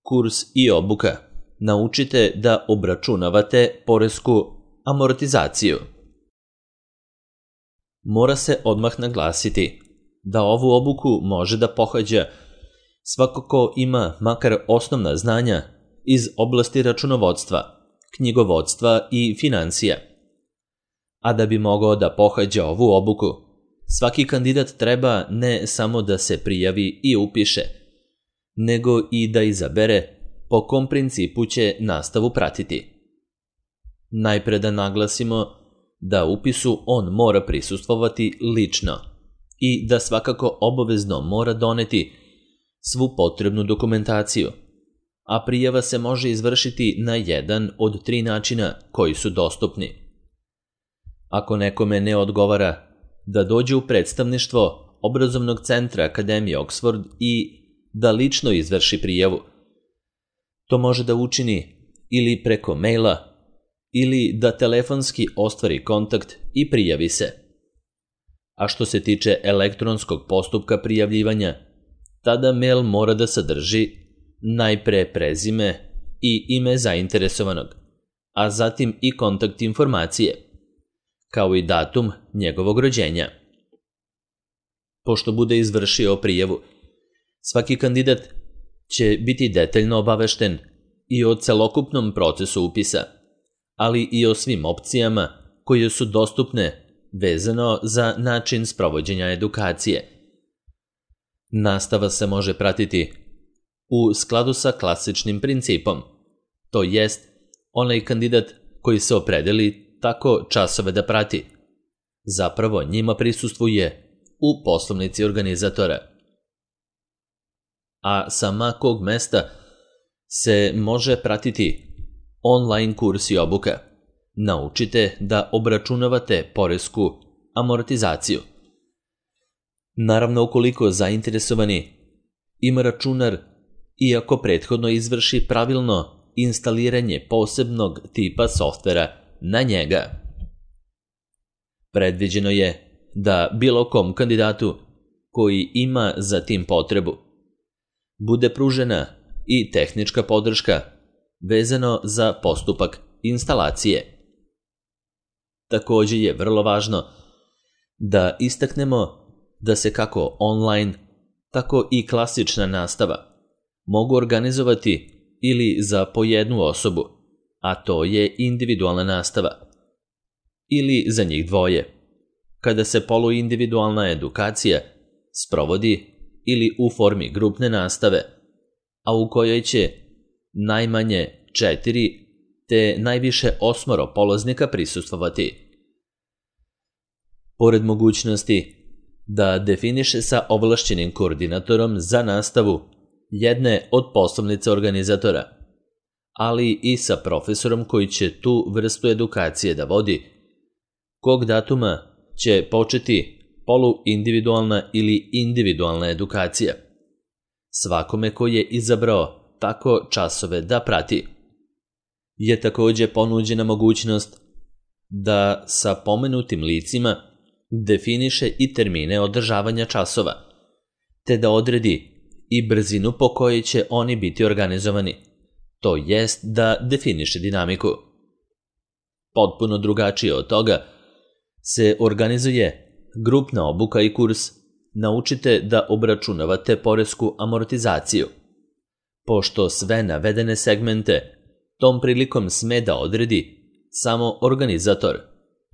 Kurs i obuka. Naučite da obračunavate poresku amortizaciju. Mora se odmah naglasiti da ovu obuku može da pohađa svako ko ima makar osnovna znanja iz oblasti računovodstva, knjigovodstva i financija. A da bi mogao da pohađa ovu obuku, svaki kandidat treba ne samo da se prijavi i upiše, nego i da izabere po kom principu će nastavu pratiti. Najpre da naglasimo da upisu on mora prisustvovati lično i da svakako obavezno mora doneti svu potrebnu dokumentaciju, a prijava se može izvršiti na jedan od 3 načina koji su dostupni. Ako nekome ne odgovara da dođe u predstavništvo obrazovnog centra Akademije Oxford i da lično izvrši prijavu, to može da učini ili preko maila ili da telefonski ostvari kontakt i prijavi se. A što se tiče elektronskog postupka prijavljivanja, tada mail mora da sadrži najpre prezime i ime zainteresovanog, a zatim i kontakt informacije, kao i datum njegovog rođenja. Pošto bude izvršio prijavu, svaki kandidat će biti detaljno obavešten i o celokupnom procesu upisa, ali i o svim opcijama koje su dostupne vezano za način sprovođenja edukacije. Nastava se može pratiti u skladu sa klasičnim principom, to jest onaj kandidat koji se opredeli tako časove da prati, zapravo njima prisustvuje u poslovnici organizatora. A sa ma kog mesta se može pratiti online kurs i obuka. Naučite da obračunavate poresku amortizaciju. Naravno, ukoliko zainteresovani ima računar i ako prethodno izvrši pravilno instaliranje posebnog tipa softvera na njega. Predviđeno je da bilo kom kandidatu koji ima za tim potrebu bude pružena i tehnička podrška vezano za postupak instalacije. Također je vrlo važno da istaknemo da se kako online, tako i klasična nastava mogu organizovati ili za po jednu osobu, a to je individualna nastava, ili za njih dvoje, kada se poluindividualna edukacija sprovodi ili u formi grupne nastave, a u kojoj će najmanje 4 te najviše 8 polaznika prisustvovati. Pored mogućnosti da definiše sa ovlašćenim koordinatorom za nastavu jedne od poslovnice organizatora, ali i sa profesorom koji će tu vrstu edukacije da vodi, kog datuma će početi poluindividualna ili individualna edukacija, svakome koji je izabrao tako časove da prati. Je također ponuđena mogućnost da sa pomenutim licima definiše i termine održavanja časova, te da odredi i brzinu po kojoj će oni biti organizovani, to jest da definiše dinamiku. Potpuno drugačije od toga se organizuje grupna obuka i kurs Naučite da obračunavate poresku amortizaciju, pošto sve navedene segmente tom prilikom sme da odredi samo organizator,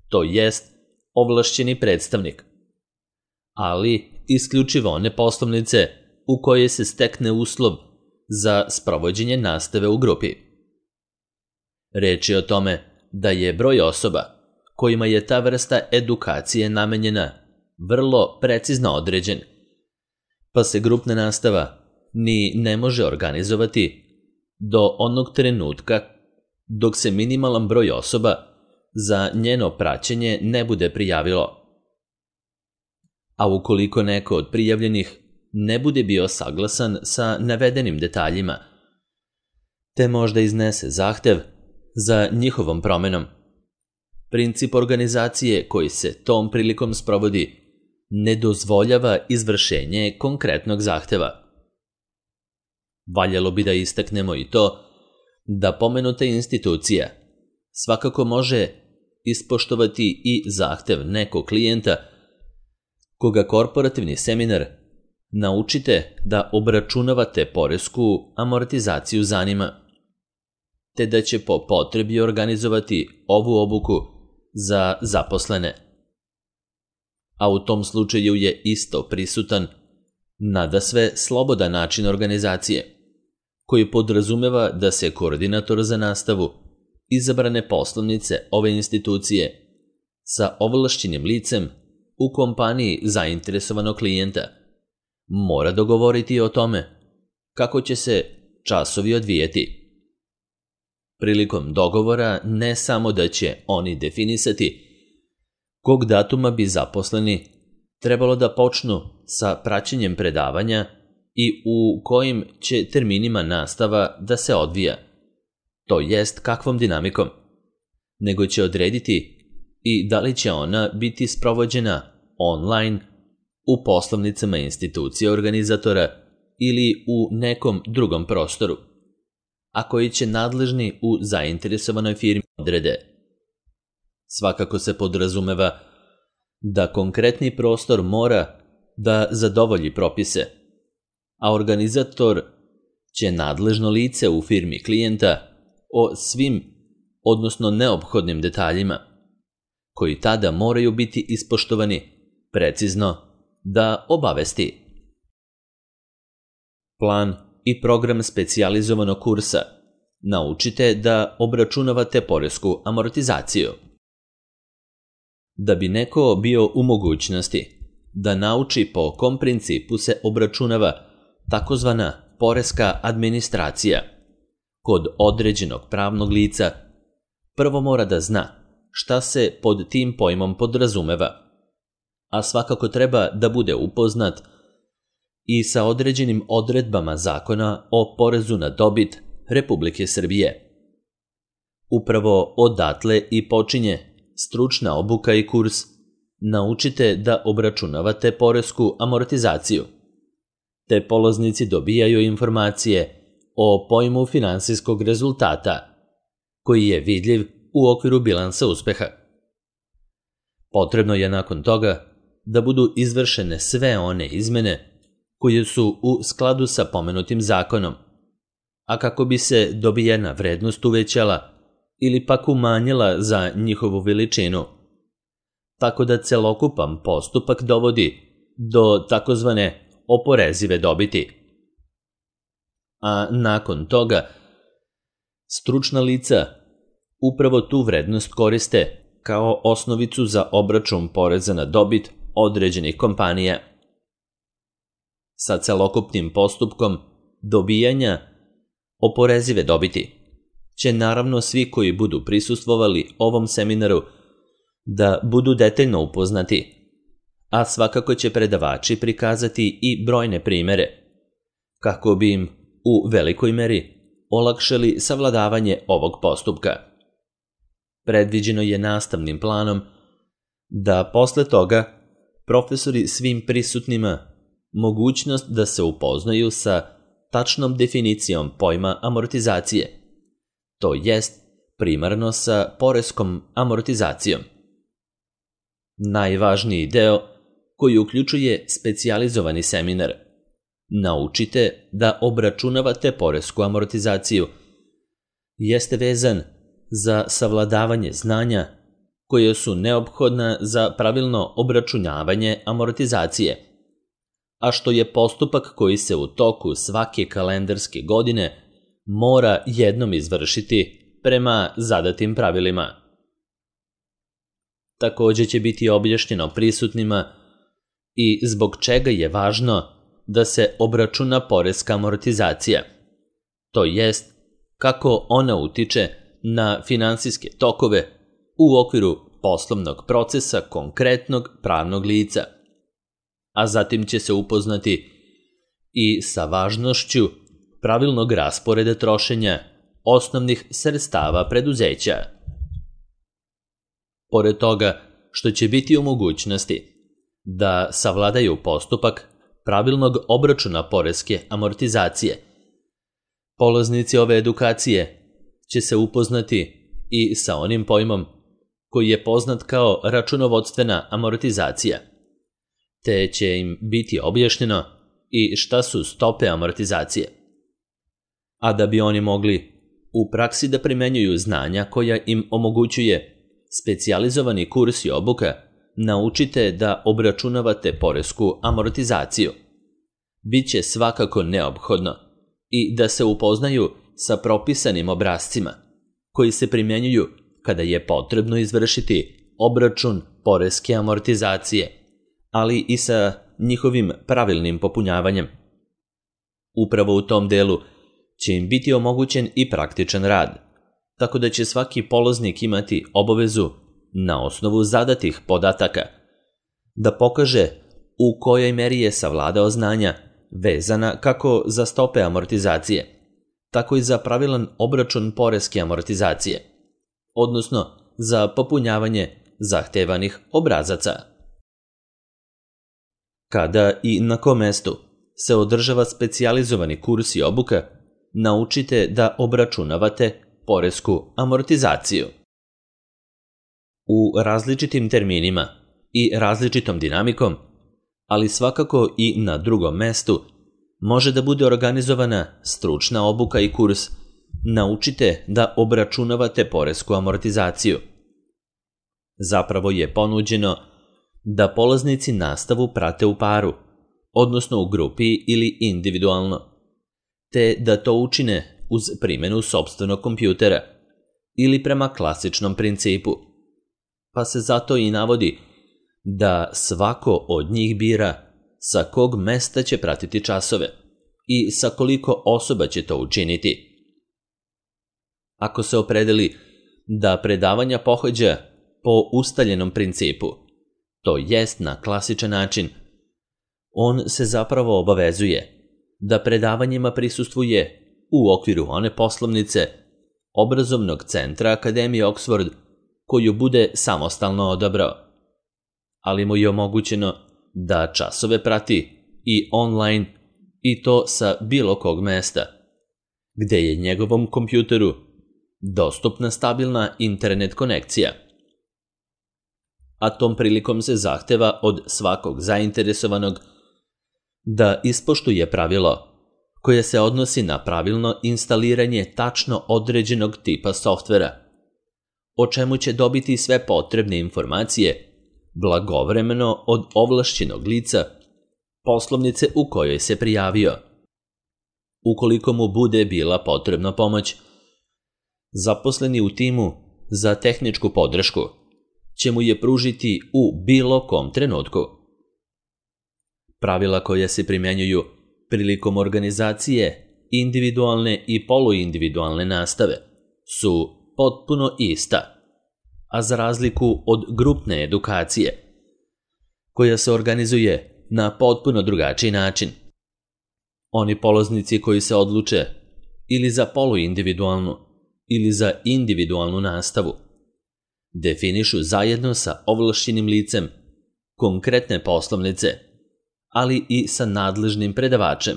to jest ovlašćeni predstavnik, ali isključivo one poslovnice u koje se stekne uslov za sprovođenje nastave u grupi. Reč je o tome da je broj osoba kojima je ta vrsta edukacije namenjena vrlo precizno određen, pa se grupna nastava ni ne može organizovati do onog trenutka dok se minimalan broj osoba za njeno praćenje ne bude prijavilo. A ukoliko neko od prijavljenih ne bude bio saglasan sa navedenim detaljima, te možda iznese zahtev za njihovom promenom, princip organizacije koji se tom prilikom sprovodi ne dozvoljava izvršenje konkretnog zahteva. valjalo bi da istaknemo i to da pomenuta institucija svakako može ispoštovati i zahtev nekog klijenta koga korporativni seminar Naučite da obračunavate poresku amortizaciju zanima, te da će po potrebi organizovati ovu obuku za zaposlene. A u tom slučaju je isto prisutan nadasve slobodan način organizacije, koji podrazumeva da se koordinator za nastavu izabrane poslovnice ove institucije sa ovlašćenim licem u kompaniji zainteresovanog klijenta mora dogovoriti o tome kako će se časovi odvijeti. Prilikom dogovora ne samo da će oni definisati kog datuma bi zaposleni trebalo da počnu sa praćenjem predavanja i u kojim će terminima nastava da se odvija, to jest kakvom dinamikom, nego će odrediti i da li će ona biti sprovođena online u poslovnicama institucije organizatora ili u nekom drugom prostoru, a koji će nadležni u zainteresovanoj firmi odrede. Svakako se podrazumeva da konkretni prostor mora da zadovolji propise, a organizator će nadležno lice u firmi klijenta o svim, odnosno neophodnim detaljima, koji tada moraju biti ispoštovani, precizno da obavesti. Plan i program specijalizovanog kursa Naučite da obračunavate poresku amortizaciju. Da bi neko bio u mogućnosti da nauči po kom principu se obračunava takozvana poreska administracija kod određenog pravnog lica, prvo mora da zna šta se pod tim pojmom podrazumeva, a svakako treba da bude upoznat i sa određenim odredbama Zakona o porezu na dobit Republike Srbije. Upravo odatle i počinje stručna obuka i kurs Naučite da obračunavate poresku amortizaciju, te polaznici dobijaju informacije o pojmu finansijskog rezultata, koji je vidljiv u okviru bilansa uspeha. Potrebno je nakon toga da budu izvršene sve one izmene koje su u skladu sa pomenutim zakonom, a kako bi se dobijena vrednost uvećala ili pak umanjila za njihovu veličinu, tako da celokupan postupak dovodi do takozvane oporezive dobiti. A nakon toga, stručna lica upravo tu vrednost koriste kao osnovicu za obračun poreza na dobit određenih kompanija. Sa celokupnim postupkom dobijanja oporezive dobiti će naravno svi koji budu prisustvovali ovom seminaru da budu detaljno upoznati, a svakako će predavači prikazati i brojne primere, kako bi im u velikoj meri olakšali savladavanje ovog postupka. Predviđeno je nastavnim planom da posle toga profesori svim prisutnima mogućnost da se upoznaju sa tačnom definicijom pojma amortizacije, to jest primarno sa poreskom amortizacijom. Najvažniji deo, koji uključuje specijalizovani seminar Naučite da obračunavate poresku amortizaciju, jeste vezan za savladavanje znanja koje su neophodna za pravilno obračunavanje amortizacije, a što je postupak koji se u toku svake kalendarske godine mora jednom izvršiti prema zadatim pravilima. Takođe će biti objašnjeno prisutnima i zbog čega je važno da se obračuna poreska amortizacija, to jest kako ona utiče na finansijske tokove u okviru poslovnog procesa konkretnog pravnog lica, a zatim će se upoznati i sa važnošću pravilnog rasporeda trošenja osnovnih sredstava preduzeća. Pored toga što će biti u mogućnosti da savladaju postupak pravilnog obračuna poreske amortizacije, Polaznici ove edukacije će se upoznati i sa onim pojmom koji je poznat kao računovodstvena amortizacija, te će im biti objašnjeno i šta su stope amortizacije. A da bi oni mogli u praksi da primenjuju znanja koja im omogućuje specijalizovani kurs i obuka, naučite da obračunavate poresku amortizaciju. Biće svakako neophodno i da se upoznaju sa propisanim obrascima koji se primenjuju kada je potrebno izvršiti obračun poreske amortizacije, ali i sa njihovim pravilnim popunjavanjem. Upravo u tom delu će im biti omogućen i praktičan rad, tako da će svaki polaznik imati obavezu na osnovu zadatih podataka da pokaže u kojoj meri je savladao znanja vezana kako za stope amortizacije, tako i za pravilan obračun poreske amortizacije, odnosno za popunjavanje zahtevanih obrazaca. Kada i na kom mestu se održava specijalizovani kurs i obuka, naučite da obračunavate poresku amortizaciju. U različitim terminima i različitom dinamikom, ali svakako i na drugom mestu, može da bude organizovana stručna obuka i kurs Naučite da obračunavate poresku amortizaciju. Zapravo je ponuđeno da polaznici nastavu prate u paru, odnosno u grupi ili individualno, te da to učine uz primjenu sopstvenog kompjutera ili prema klasičnom principu, pa se zato i navodi da svako od njih bira sa kog mesta će pratiti časove i sa koliko osoba će to učiniti. Ako se opredeli da predavanja pohađa po ustaljenom principu, to jest na klasičan način, on se zapravo obavezuje da predavanjima prisustvuje u okviru one poslovnice obrazovnog centra Akademije Oxford koju bude samostalno odabrao, ali mu je omogućeno da časove prati i online i to sa bilo kog mesta, gde je njegovom kompjuteru dostupna stabilna internet konekcija. A tom prilikom se zahteva od svakog zainteresovanog da ispoštuje pravilo koje se odnosi na pravilno instaliranje tačno određenog tipa softvera, o čemu će dobiti sve potrebne informacije blagovremeno od ovlašćenog lica poslovnice u kojoj se prijavio. Ukoliko mu bude bila potrebna pomoć, zaposleni u timu za tehničku podršku će mu je pružiti u bilo kom trenutku. Pravila koja se primjenjuju prilikom organizacije individualne i poluindividualne nastave su potpuno ista, a za razliku od grupne edukacije, koja se organizuje na potpuno drugačiji način. Oni polaznici koji se odluče ili za poluindividualnu ili za individualnu nastavu definišu zajedno sa ovlašćenim licem konkretne poslovnice, ali i sa nadležnim predavačem,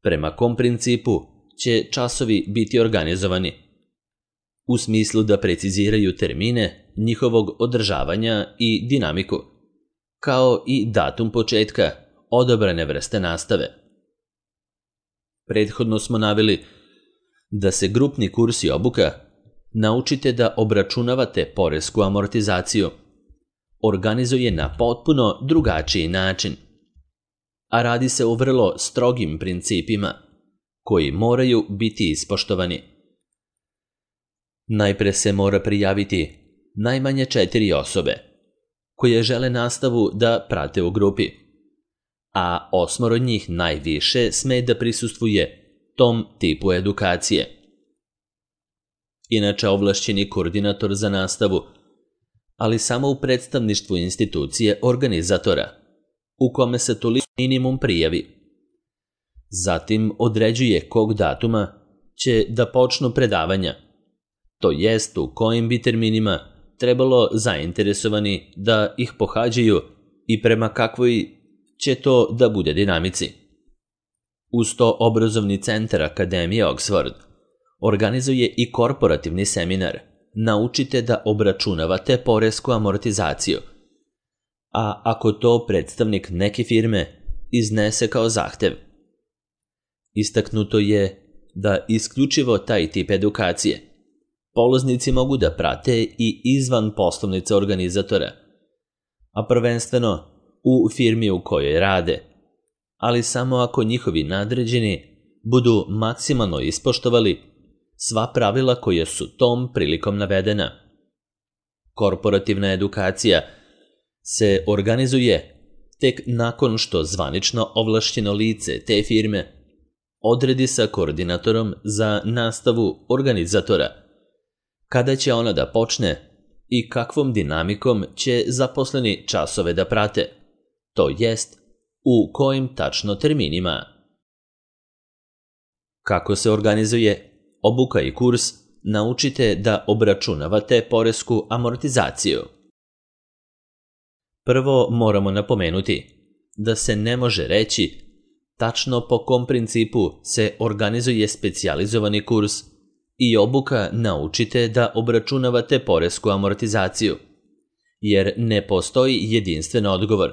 prema kom principu će časovi biti organizovani, u smislu da preciziraju termine njihovog održavanja i dinamiku, kao i datum početka odabrane vrste nastave. Prethodno smo naveli da se grupni kurs i obuka naučite da obračunavate poresku amortizaciju organizuje na potpuno drugačiji način, a radi se o vrlo strogim principima koji moraju biti ispoštovani. Najpre se mora prijaviti najmanje 4 osobe koje žele nastavu da prate u grupi, a 8 od njih najviše sme da prisustvuje tom tipu edukacije. Inače, ovlašćeni koordinator za nastavu, ali samo u predstavništvu institucije organizatora, u kome se toliko minimum prijavi. Zatim određuje kog datuma će da počnu predavanja, to jest u kojim bi terminima trebalo zainteresovani da ih pohađaju i prema kakvoj će to da bude dinamici. Uz to obrazovni centar Akademije Oxford organizuje i korporativni seminar Naučite da obračunavate poresku amortizaciju. A ako to predstavnik neke firme iznese kao zahtev, istaknuto je da isključivo taj tip edukacije polaznici mogu da prate i izvan poslovnice organizatora, a prvenstveno u firmi u kojoj rade, ali samo ako njihovi nadređeni budu maksimalno ispoštovali sva pravila koja su tom prilikom navedena. Korporativna edukacija se organizuje tek nakon što zvanično ovlašćeno lice te firme odredi sa koordinatorom za nastavu organizatora kada će ona da počne i kakvom dinamikom će zaposleni časove da prate, to jest u kojim tačno terminima. Kako se organizuje obuka i kurs Naučite da obračunavate poresku amortizaciju? Prvo moramo napomenuti da se ne može reći tačno po kom principu se organizuje specijalizovani kurs i obuka Naučite da obračunavate poresku amortizaciju, jer ne postoji jedinstven odgovor,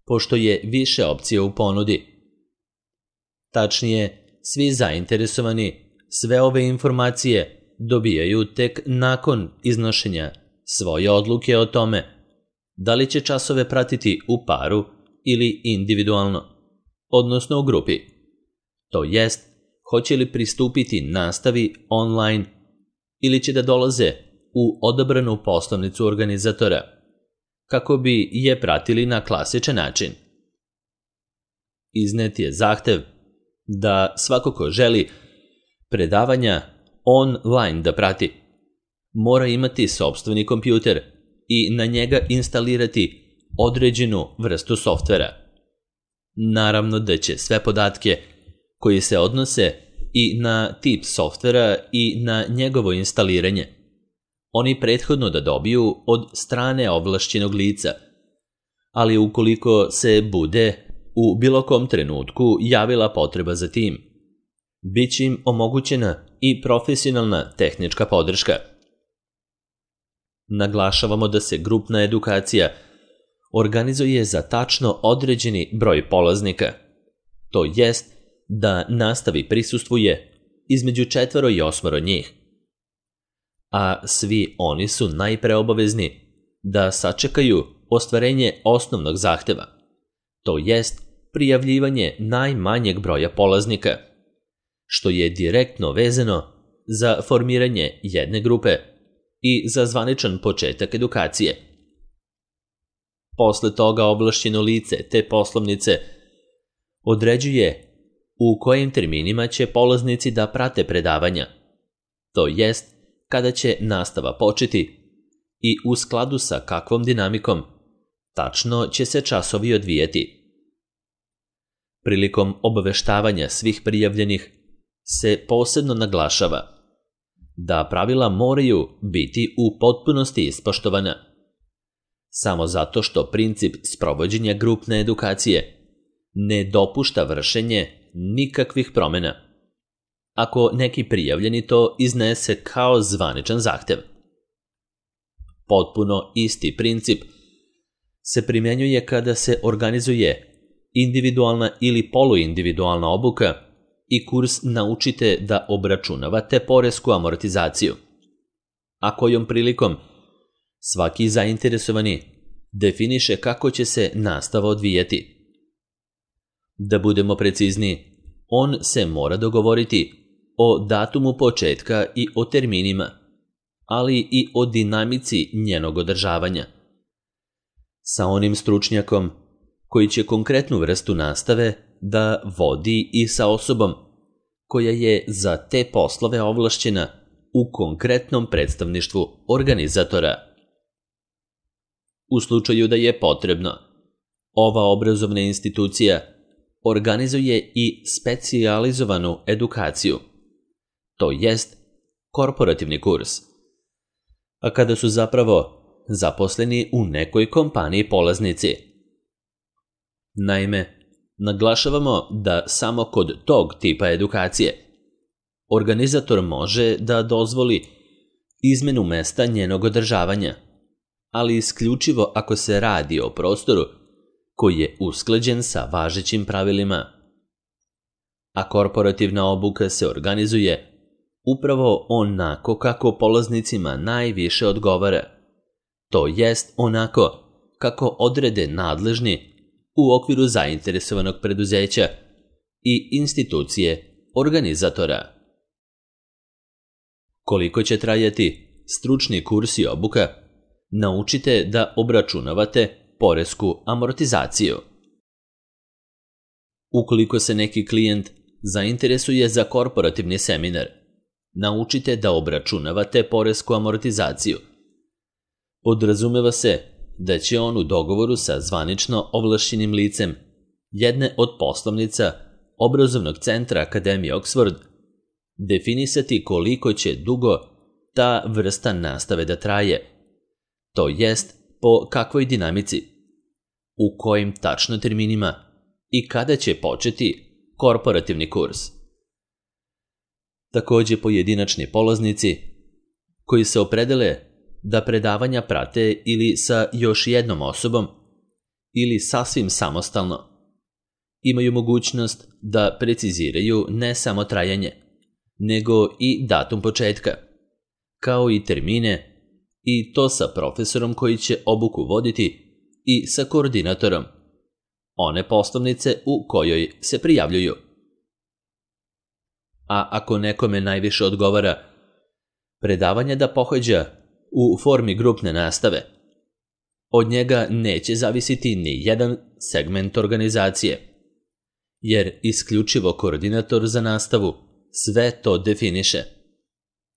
pošto je više opcija u ponudi. Tačnije, svi zainteresovani sve ove informacije dobijaju tek nakon iznošenja svoje odluke o tome da li će časove pratiti u paru ili individualno, odnosno u grupi. To jest, hoće li pristupiti nastavi online ili će da dolaze u odabranu poslovnicu organizatora, kako bi je pratili na klasičan način. Iznet je zahtev da svako ko želi predavanja online da prati, mora imati sopstveni kompjuter i na njega instalirati određenu vrstu softvera. Naravno da će sve podatke koji se odnose i na tip softvera i na njegovo instaliranje oni prethodno da dobiju od strane ovlašćenog lica, ali ukoliko se bude u bilo kom trenutku javila potreba za tim, bit će im omogućena i profesionalna tehnička podrška. Naglašavamo da se grupna edukacija organizuje za tačno određeni broj polaznika, to jest da nastavi prisustvuje između 4 i 8 njih, a svi oni su najpre obavezni da sačekaju ostvarenje osnovnog zahteva, to jest prijavljivanje najmanjeg broja polaznika, što je direktno vezano za formiranje jedne grupe i za zvaničan početak edukacije. Posle toga ovlašćeno lice te poslovnice određuje u kojim terminima će polaznici da prate predavanja, to jest kada će nastava početi i u skladu sa kakvom dinamikom tačno će se časovi odvijeti. Prilikom obaveštavanja svih prijavljenih se posebno naglašava da pravila moraju biti u potpunosti ispoštovana, samo zato što princip sprovođenja grupne edukacije ne dopušta vršenje nikakvih promjena, ako neki prijavljeni to iznese kao zvaničan zahtev. Potpuno isti princip se primjenjuje kada se organizuje individualna ili poluindividualna obuka i kurs Naučite da obračunavate poresku amortizaciju, a kojom prilikom svaki zainteresovani definiše kako će se nastava odvijeti. Da budemo precizni, on se mora dogovoriti o datumu početka i o terminima, ali i o dinamici njenog održavanja, sa onim stručnjakom koji će konkretnu vrstu nastave da vodi i sa osobom koja je za te poslove ovlašćena u konkretnom predstavništvu organizatora. U slučaju da je potrebno, ova obrazovna institucija organizuje i specijalizovanu edukaciju, to jest korporativni kurs, a kada su zapravo zaposleni u nekoj kompaniji polaznici. Naime, Naglašavamo da samo kod tog tipa edukacije organizator može da dozvoli izmenu mesta njenog održavanja, ali isključivo ako se radi o prostoru koji je usklađen sa važećim pravilima. A korporativna obuka se organizuje upravo onako kako polaznicima najviše odgovara, to jest onako kako odrede nadležni u okviru zainteresovanog preduzeća i institucije organizatora. Koliko će trajati stručni kurs i obuka? Naučite da obračunavate poresku amortizaciju. Ukoliko se neki klijent zainteresuje za korporativni seminar, naučite da obračunavate poresku amortizaciju. Podrazumeva se da će on u dogovoru sa zvanično ovlašćenim licem jedne od poslovnica obrazovnog centra Akademije Oxford definisati koliko će dugo ta vrsta nastave da traje, to jest po kakvoj dinamici, u kojim tačno terminima i kada će početi korporativni kurs. Takođe pojedinačni polaznici koji se opredele da predavanja prate ili sa još jednom osobom ili sasvim samostalno, imaju mogućnost da preciziraju ne samo trajanje, nego i datum početka, kao i termine, i to sa profesorom koji će obuku voditi i sa koordinatorom one poslovnice u kojoj se prijavljuju. A ako nekome najviše odgovara predavanje da pohađa u formi grupne nastave, od njega neće zavisiti ni jedan segment organizacije, jer isključivo koordinator za nastavu sve to definiše.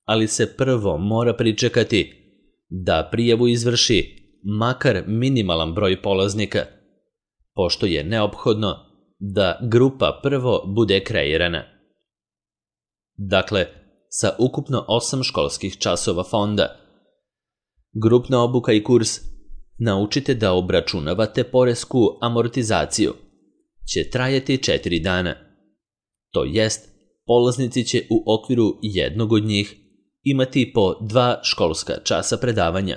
Ali se prvo mora pričekati da prijavu izvrši makar minimalan broj polaznika, pošto je neophodno da grupa prvo bude kreirana. Dakle, sa ukupno 8 školskih časova fonda, grupna obuka i kurs Naučite da obračunavate poresku amortizaciju će trajati 4 dana. To jest, polaznici će u okviru jednog od njih imati po 2 školska časa predavanja,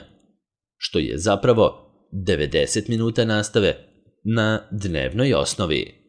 što je zapravo 90 minuta nastave na dnevnoj osnovi.